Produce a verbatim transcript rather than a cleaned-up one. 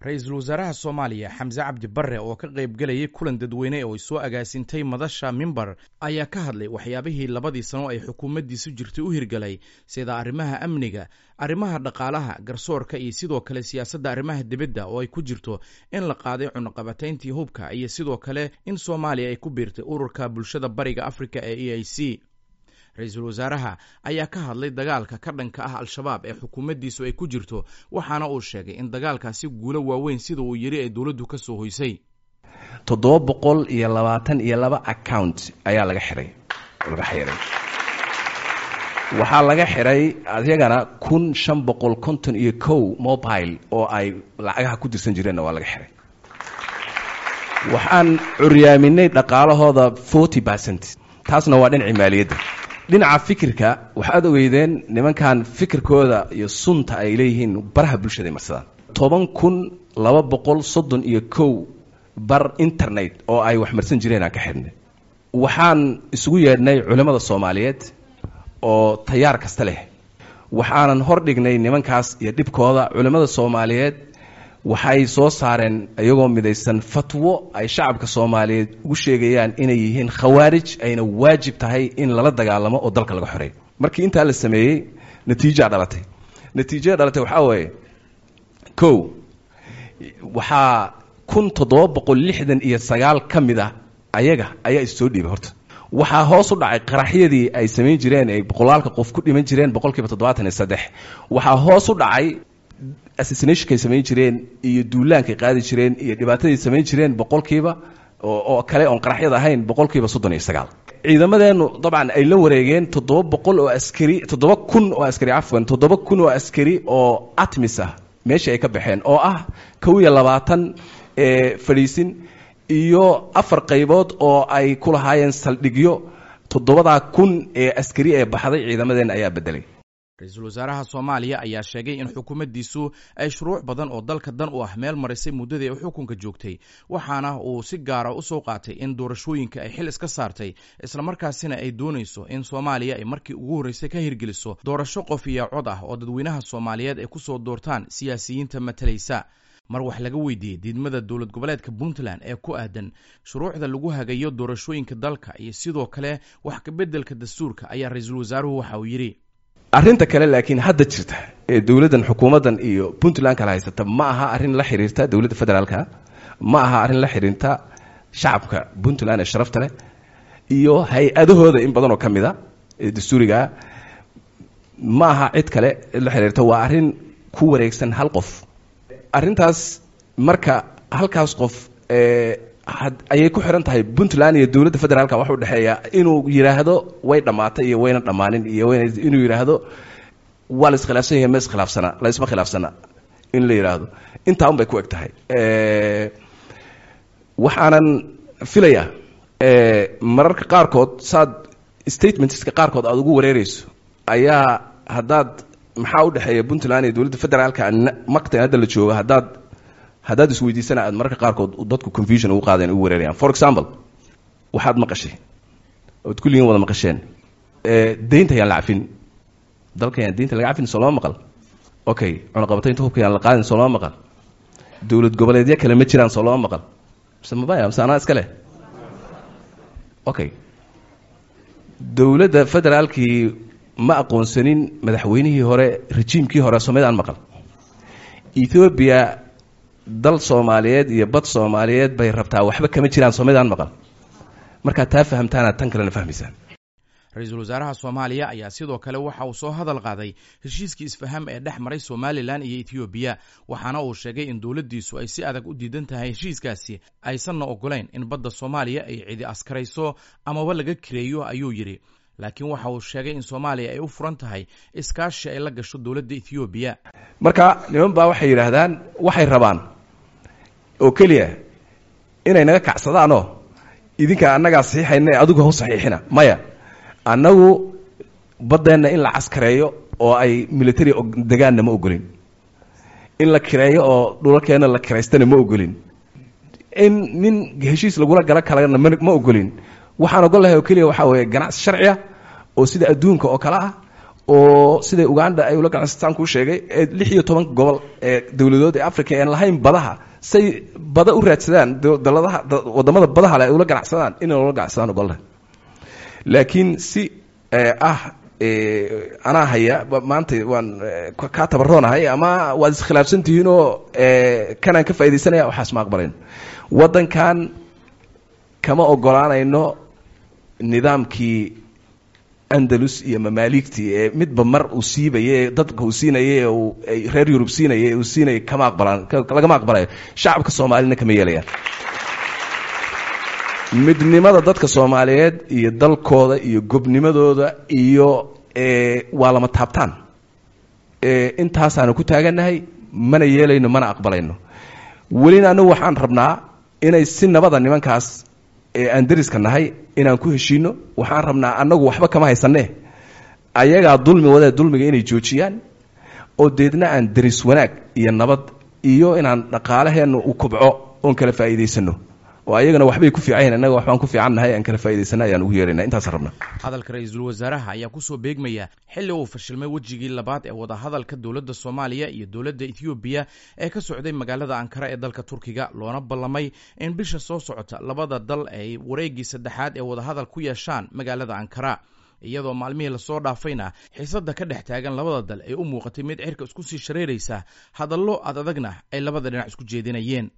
Ra-iisul wasaaraha Soomaaliya Xamse Cabdi Barre oo ka qaybgelayay kulan dadweyne oo ay soo agaasintay madasha Mimbar ayaa ka hadlay waxyaabihii labadii sano ay xukuumaddiisu jirtay u hirgalay, sida arrimaha amniga, arrimaha dhaqaalaha, garsoorka iyo sidoo kale siyaasadda arrimaha dibadda oo ay ku jirto in la qaaday cunaqabatayntii hubka iyo sidoo kale in Soomaaliya ay ku biirtay Ururka Bulshada Bariga Afrika ee E A C. Ra-iisul wasaaraha ayaa ka hadlay dagaalka ka dhanka ah Al-Shabaab ee xukuumaddiisu ay ku jirto, waxaana uu sheegay in dagaalkaasi guulo waaweyn, sida uu yidhi, ay dowladdu ka soo hoysay. Toddoba boqol iyo labaatan iyo laba account ayaa laga xiray laga xiray Waxaa laga xiray ayagana kun shan boqol konton iyo kow mobile oo ay lacagaha ku dirsan jireenna waa laga xiray. Waxaan curyaaminay dhaqaalahooda forty percent. Taasna waa dhinacii maaliyadda. Dhinaca fikirka, waxaad ogeydeen nimankan fikirkooda iyo sunta ay leeyihiin baraha bulshada ay marsadaan. Toban kun laba boqol soddon iyo kow bar internet oo ay wax marsan jireen aan ka xidhnay. Waxaan isugu yeedhnay culimmada Soomaaliyeed oo tayaar kasta leh, waxaanan hor dhignay nimankaas iyo dhibkooda. Culimmada Soomaaliyeed waxay soo saareen iyagoo midaysan fatwo ay shacabka Soomaaliyeed ugu sheegayaan inay yihiin khawaarij, ayna waajib tahay in lala dagaalamo oo dalka laga xoreeyo. Markii intaa la sameeyey, natiijaa dhalatay. Natiijada dhalatay waxaa weeye: kow, waxaa kun toddoba boqol lixdan iyo sagaal ka mid ah ayaga ayaa issoo dhiibay. Horta waxaa hoos u dhacay qaraxyadii ay samayn jireen ay boqolaalka qof ku dhiman jireen boqolkiiba toddobaatan iyo saddex. Waxaa hoos u dhacay assassinationkay samayn jireen iyo duulaankay qaadi jireen iyo dhibaatadii samayn jireen boqolkiiba oo kale oon qaraxyada ahayn boqolkiiba soddon iyo sagaal. Ciidamadeennu dabcan ay la wareegeen toddoba boqol oo askari, toddoba kun oo askari, cafwan, toddoba kun oo askari oo ATMIS ah meeshii ay ka baxeen, oo ah kow iyo labaatan fadhiisin iyo afar qaybood oo ay ku lahaayeen saldhigyo. Toddobadaa kun ee askari ee baxday ciidamadeenna ayaa bedelay. Ra-iisul wasaaraha Soomaaliya ayaa sheegay in xukuumaddiisu ay shuruuc badan oo dalka dan u ah meel marisay muddadii ay xukunka joogtay, waxaana uu si gaara u soo qaatay in doorashooyinka ay xil iska saartay, islamarkaasina ay doonayso in Soomaaliya ay markii ugu horreysay ka hirgeliso doorasho qof iyo cod ah oo dadweynaha Soomaaliyeed ay ku soo doortaan siyaasiyiinta matalaysa. Mar wax laga weydiiyey diidmada dowlad goboleedka Puntland ee ku aadan shuruucda lagu hagayo doorashooyinka dalka iyo sidoo kale wax kabeddelka dastuurka ayaa ra-iisul wasaaruhu waxa uu yidhi: Arrinta kale laakiin hadda jirta ee dowladdan, xukuumaddan iyo Puntland kala haysata ma aha arrin la xiriirta dowladda federaalka, ma aha arrin la xiriirta shacabka Puntland ee sharafta leh iyo hay-adahooda in badan oo ka mid a ee dastuurigaa, ma aha cid kale cid la xiriirta. Waa arrin ku wareegsan hal qof arrintaas. Marka halkaas qof ayay ku xiran tahay Puntland iyo dowladda federaalka waxa u dhexeeya inuu yidhaahdo way dhammaatay iyo wayna dhammaanin, iyo inuu yidhaahdo waa la iskhilaafsan yahay, ma iskhilaafsana, la isma khilaafsana in la yidhaahdo, intaa un bay ku eg tahay. Waxaanan filayaa mararka qaarkood saad statementska qaarkood aada ugu wareereyso ayaa haddaad maxaa u dhexeeya Puntland iyo dowladda federaalka maqtan hadda la joogo haddaad haddaad isweydiisana, aad mararka qaarkood dadku confusion ugu qaadeen, ugu wareerayaan. For example, waxaad maqashay ood kulligiin wada maqasheen deynta yaan la cafin dalka, yaan deynta laga cafin, soo lama maqal? Okay, cunaqabataynta hubka yaan la qaadin, soo lama maqal? Dowlad goboleedyo kale ma jiraan, soo lama maqal? Mise mabaya, mise anaa iska leh? Okay, dowladda federaalkii ma aqoonsanin madaxweynihii hore, rejiimkii hore, soomidaan maqal? Ethoobia dal Soomaaliyeed iyo bad Soomaaliyeed bay rabtaa, waxba kama jiraan, soomidaan maqal? Markaad taa fahamtaanaad tan kalena fahmaysaan. Ra-iisul wasaaraha Soomaaliya ayaa sidoo kale waxa uu soo hadal qaaday heshiiskii isfaham ee dhex maray Somaliland iyo Etoobiya, waxaana uu sheegay in dowladdiisu ay si adag u diidan tahay heshiiskaasi, aysanna ogolayn in badda Soomaaliya ay cidi askarayso amaba laga kireeyo, ayuu yidhi. Laakiin waxa uu sheegay in Soomaaliya ay u furan tahay iskaashi ay la gasho dowladda Etoobiya. Marka niman baa waxay yidhaahdaan waxay rabaan oo keliya inay naga kacsadaanoo idinka annagaa saxiixayna ee adigu haw saxiixina. Maya, annagu baddeenna in la caskareeyo oo ay military degaanna ma ogolin, in la kireeyo oo dhulalkeenna la kiraystana ma ogolin, in nin heshiis lagula galo kalena ma ma ogolin. Waxaan ogol lahay oo keliya waxaa weeye ganacsi sharci ah oo sida adduunka oo kale ah. Oo siday Uganda ay ula ganacsataan kuu sheegay, ee lix iyo toban gobol ee dowladood ee Africa aan lahayn badaha say bada u raadsadaan, daladaha wadamada badaha le ay ula ganacsadaan, inay ula ganacsadaan ogolnahay. Laakiin si ah anaa haya maanta waan kaa tabaroonahay ama waad iskhilaafsan tihiinoo kanaan ka faaidaysanaya, waxaas ma aqbalayno. Waddankan kama ogolaanayno nidaamkii Andalus iyo mamaaligtii ee midba mar uu siibaye, dadka uu siinaye, uu reer Yurub siinaye, uu siinayay, kama aqbalaan, lagama aqbalayo. Shacabka Soomaalina kama yeelayaan. Midnimada dadka Soomaaliyeed iyo dalkooda iyo gobnimadooda iyo waa lama taabtaan. Intaasaanu ku taagannahay, mana yeelayno, mana aqbalayno. Welina anagu waxaan rabnaa inay si nabada nimankaas ee aan dariska nahay inaan ku heshiino. Waxaan rabnaa, annagu waxba kama haysanee, ayagaa dulmi wadee, dulmiga inay joojiyaan oo deedna aan deris wanaag iyo nabad iyo inaan dhaqaalaheennu u kobco oon kala faa'iidaysano, oo ayagana waxbay ku fiican yihin, annaga waxbaan ku fiican nahay, aan kala faa'idaysana ayaan ugu yeerayna. Intaasaan rabnaa. Hadalka ra-iisul wasaaraha ayaa kusoo beegmaya xilli uu fashilmay wejigii labaad ee wadahadalka dowladda Soomaaliya iyo dowladda Ethoobiya ee ka socday magaalada Ankara ee dalka Turkiga, loona ballamay in bisha soo socota labada dal ay wareeggii saddexaad ee wadahadal ku yeeshaan magaalada Ankara, iyadoo maalmihii lasoo dhaafayna xiisadda ka dhex taagan labada dal ay u muuqatay mid cirka isku sii shareeraysa, hadallo ad adagna ay labada dhinac isku jeedinayeen.